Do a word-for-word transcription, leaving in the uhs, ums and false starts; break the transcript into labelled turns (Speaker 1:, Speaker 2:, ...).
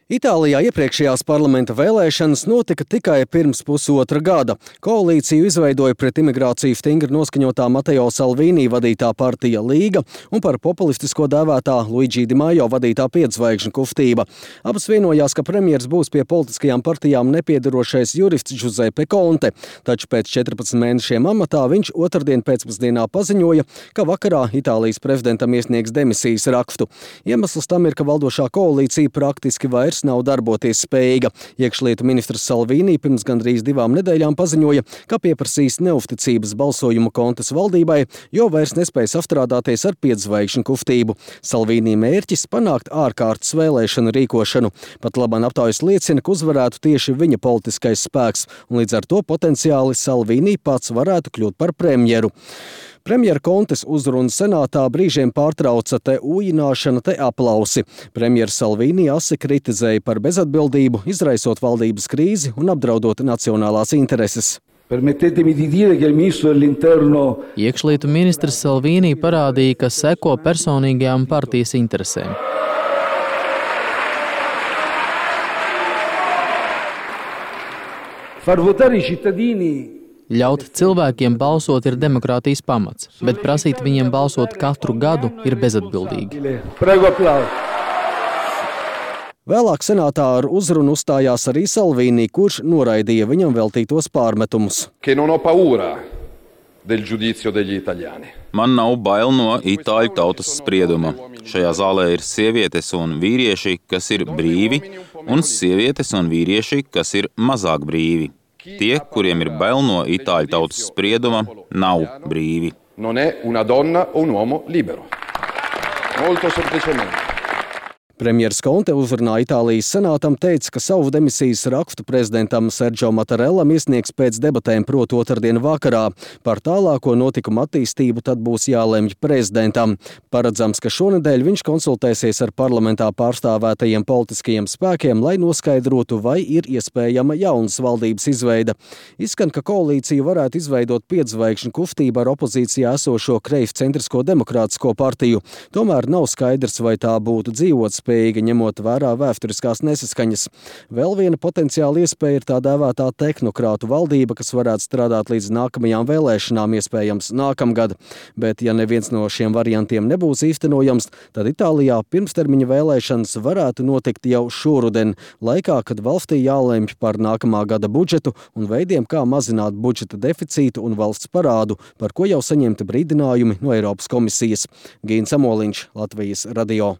Speaker 1: Itālijā iepriekšējās parlamenta vēlēšanas notika tikai pirms pusotra gada. Koalīciju izveidoja pret imigrāciju stingri noskaņotā Matteo Salvini vadītā partija Līga un par populistisko dēvētā Luigi Di Maio vadītā piedzvaigžņu kustība. Abas vienojās, ka premjers būs pie politiskajām partijām nepiedarošais jurists Giuseppe Conte, taču pēc četrpadsmit mēnešiem amatā viņš otrdien pēcpusdienā paziņoja, ka vakarā Itālijas prezidentam iesniegs demisijas rakstu. Iemesls tam ir, ka valdošā koalīcija praktiski vairs nav darboties spējīga. Iekšlietu ministrs Salvini pirms gandrīz divām nedēļām paziņoja, ka pieprasīs neusticības balsojumu Contes valdībai, jo vairs nespējas apstrādāties ar piedzvaigžņu kustību. Salvini mērķis panākt ārkārtas vēlēšanu rīkošanu. Pat laban aptaujas liecina, ka uzvarētu tieši viņa politiskais spēks, un līdz ar to potenciāli Salvini pats varētu kļūt par premjeru. Premjera Contes uzrunu senātā brīžiem pārtrauca te ūjināšana, te aplausi. Premjera Salvini asi kritizēja par bezatbildību, izraisot valdības krīzi un apdraudot nacionālās intereses.
Speaker 2: Iekšlietu ministrs Salvini parādīja, ka seko personīgajām partijas interesēm.
Speaker 3: Far votare i cittadini
Speaker 2: Ļaut cilvēkiem balsot ir demokrātijas pamats, bet prasīt viņiem balsot katru gadu ir bezatbildīgi.
Speaker 1: Vēlāk senātā ar uzrunu uzstājās arī Salvini, kurš noraidīja viņam veltītos pārmetumus.
Speaker 4: Man nav bail no itāļu tautas sprieduma. Šajā zālē ir sievietes un vīrieši, kas ir brīvi, un sievietes un vīrieši, kas ir mazāk brīvi. Tie, kuriem ir bail no itāļu tautas sprieduma, nav brīvi.
Speaker 1: Premjers Conte uzrunā Itālijas senātam teica, ka savu demisijas rakstu prezidentam Sergio Mattarellam iesniegs pēc debatēm proti otrdien vakarā. Par tālāko notikumu attīstību tad būs jālemj prezidentam. Paredzams, ka šonedēļ viņš konsultēsies ar parlamentā pārstāvētajiem politiskajiem spēkiem, lai noskaidrotu, vai ir iespējama jaunas valdības izveida. Izskan, ka koalīciju varētu izveidot piedzvaigžņu kustība ar opozīcijā esošo kreiscentrisko demokrātisko partiju. Tomēr nav skaidrs, vai tā būtu dzīvotspējīga, ņemot vērā vēsturiskās nesaskaņas. Vēl viena potenciāla iespēja ir tā dēvētā tehnokrātu valdība, kas varētu strādāt līdz nākamajām vēlēšanām, iespējams nākamgad. Bet, ja neviens no šiem variantiem nebūs īstenojams, tad Itālijā pirmstermiņa vēlēšanas varētu notikt jau šoruden, laikā, kad valstī jālemj par nākamā gada budžetu un veidiem, kā mazināt budžeta deficītu un valsts parādu, par ko jau saņemti brīdinājumi no Eiropas komisijas. Gīns Amoliņš, Latvijas radio.